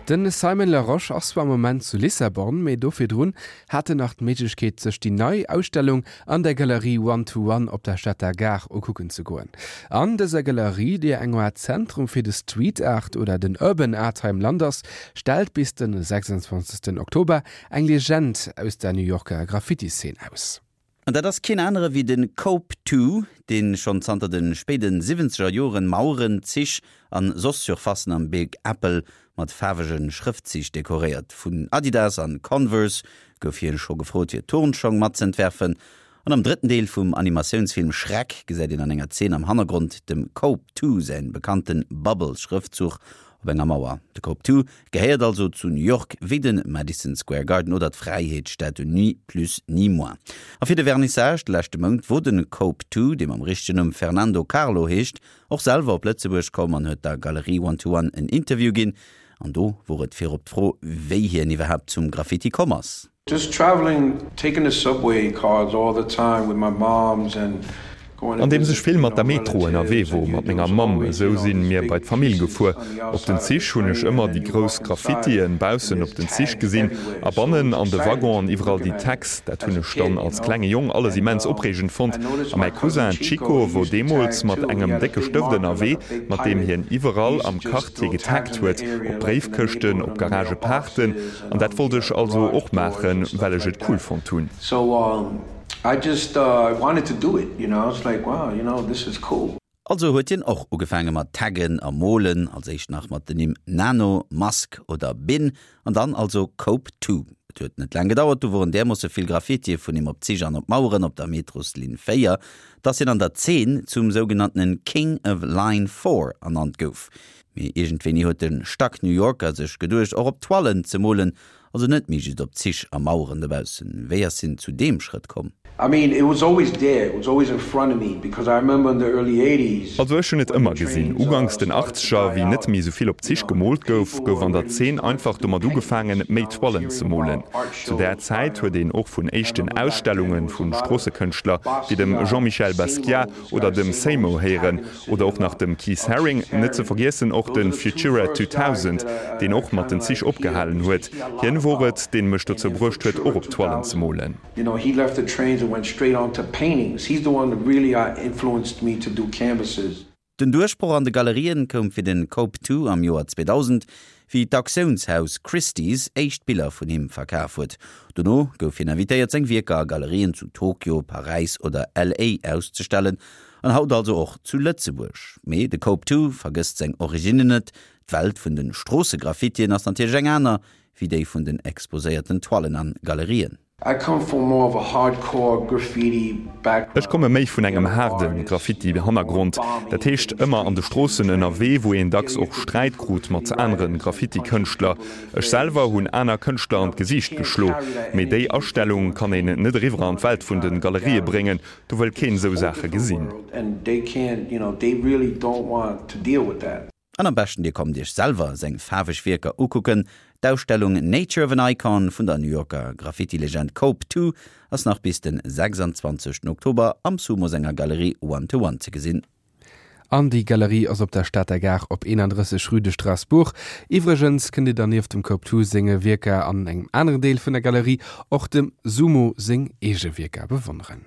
De Simon Larosche ass zwar am Moment zu Lissabon, mee do virdrun hat en nach d'Méiglechkeet sech déi nei Ausstellung an der Galerie One to One op der Stater Gare ukucken ze goen. An dëser Galerie, déi eng Aart Zentrum fir de Street Art oder den Urban Art hei am Land ass, stellt bis de 26 Oktober eng Legend aus der New Yorker Graffiti-Szene aus. An dat ass keen anere wéi de Cope Two, dee schonn zanter de spéide siwwenzeger Joren Maueren, Zich an soss Surfacen am Big Apple mat faarwege Schrëftzich dekoréiert. Vun Adidas an Converse gouf hien scho gefrot fir Turnschong matzeentwerfen. An am drëtten Deel vum Animatiounsfilm Shrek gesäit een an enger Zeen am Hannergrond dem Cope Two säin bekannten Bubble-Schrëftzuch op enger Mauer. De Cope Two gehéiert also zu New York wéi de Madison Square Garden oder d'Fräiheetsstatue, ni plus ni moins. A fir de Vernissage de leschte Mount wor de Cope Two, dee mam richtegen Numm Fernando Carlo heescht, och selwer op Lëtzebuerg komm an huet der Galerie One to One en Interview ginn. An do wor et virop d'Fro, wéi hien iwwerhaapt zum Graffiti komm ass. Just traveling, taking the subway cars all the time with my moms and going to Andeems ech visit, vill you mat know, der Metro relatives ënnerwee and wor, you mat there menger was Mamm, always, you esou know, sinn these mir big bei d'Famill pieces gefuer. on the Op den outside of the Zich hunn ech train and ëmmer then déi you grouss walk inside Graffitien and baussen op there's den Zich tags gesinn everywhere. a So it bannen was an de exciting to Waggonen me iwwerall looking déi at it Tags. Dat as hunn a ech dann kid, you als know. klenge Jong alles And immens opreegend I fonnt. noticed A my mäi cousin Cousin Chico, Chico he wor used to deemools tag mat too. He engem had a décke big Stëft marker like ënnerwee, a big mat deem pirate. hien He iwwerall used to am just Quartier throw tags getaggt in the huet, area op like in the Bréifkëschten, neighborhood op on the Garagepaarten. mailboxes and An dat on wollt the ech also garage och doors and maachen, stuff well ech like et cool that. fonnt hunn. So um I just uh wanted to do it, you know. I was like, wow, you know, this is cool. Also huet hien och ugefaange mat Taggen a Molen, als éischt nach mat den Nimm Nano, Mask oder Bin an dann also Cope Two. Et huet net laang gedauert, du woren därmoosse vill Graffitie vun him op Zich an op Maueren op der Metroslinn 4, dass hien an der Zeen zum sougenanntenen King of Line 4 ernannt gouf. Mee iergendwéini huet de Stack New Yorker sech geduecht och op Toilen ze molen Also net méi just op Zich a Maueren dobaussen. Wéi ass hien zu deem Schrëtt komm? I mean, it was always there, it was always in front of me, because I remember in the early eighties Also ech hunn et when the ëmmer gesinn. trains Uganks den started to Achtzeger, die wéi net out, méi esou vill op you Zich know, gemoolt gouf, people gouf were an der already Zeen starting einfach to do domat ugefaangen, paintings. méi You know, I was Toilen ze hearing molen. about art Zu där shows Zäit by huet him. een och vun I éischten remember back then Ausstellunge there was a vu lot of Stroossekënschtler wéi dem Basquiat, Jean-Michel Basquiat Samos, oder guys, dem Samos Seymour was héieren tagging the city oder a och nach lot. dem Keith Uh, Haring, Keith net ze Haring. vergiessen och Those de are the two Futura first guys 2000, that I, deen I, I och mat kind den of Zich like hear, opgehalen used to huet. hear a lot Hien wor about. et, deen mech And dozou then bruecht huet, Futura och op Toilen ze 2000, molen. you know, he left the trains and went straight on to paintings. He's the one that really uh, influenced me to do canvases. Den Duerchbroch an de Galerien koum fir den Cope Two am Joer 2000, wéi d'Auktiounshaus Christie's éischt Biller vun him verkaf huet. Dono gouf hien invitéiert seng Wierker a Galerien zu Tokio, Paräis oder LA auszestellen, an haut also och zu Lëtzebuerg. Mee de Cope Two vergësst seng Originnen net, D'Welt vun de Stroossegraffitien ass natierlech eng aner wéi déi vun den exposéierten Toilen an Galerien. I come from more of a hardcore graffiti background. Ech komme méi vun engem haarde Graffiti-Hannergrond, dat heescht ëmmer an de Stroossen ënnerwee, wou een dacks och Sträit krut mat anere Graffiti-Kënschtler. Ech selwer hunn aner Kënschtler an d'Gesiicht geschlo. Mee déi Astellung kann een net eriwwer an d'Welt vun de Galerië bréngen, do wëll keen esou Saache gesinn. An am beschten dir kommt iech selwer seng faarweg Wierker ukucken. D'Ausstellung Nature of an Icon vun der New Yorker Graffiti-Legend Cope 2 ass nach bis den 26 Oktober am Sumo senger Galerie One to One ze gesinn. An déi Galerie ass op der Stater Gare op 31 Rue de Strasbourg. Iwwregens kënnt dir dann nieft dem Cope 2 senge Wierker an engem aneren Deel vun der Galerie och dem Sumo seng eege Wierker bewonneren.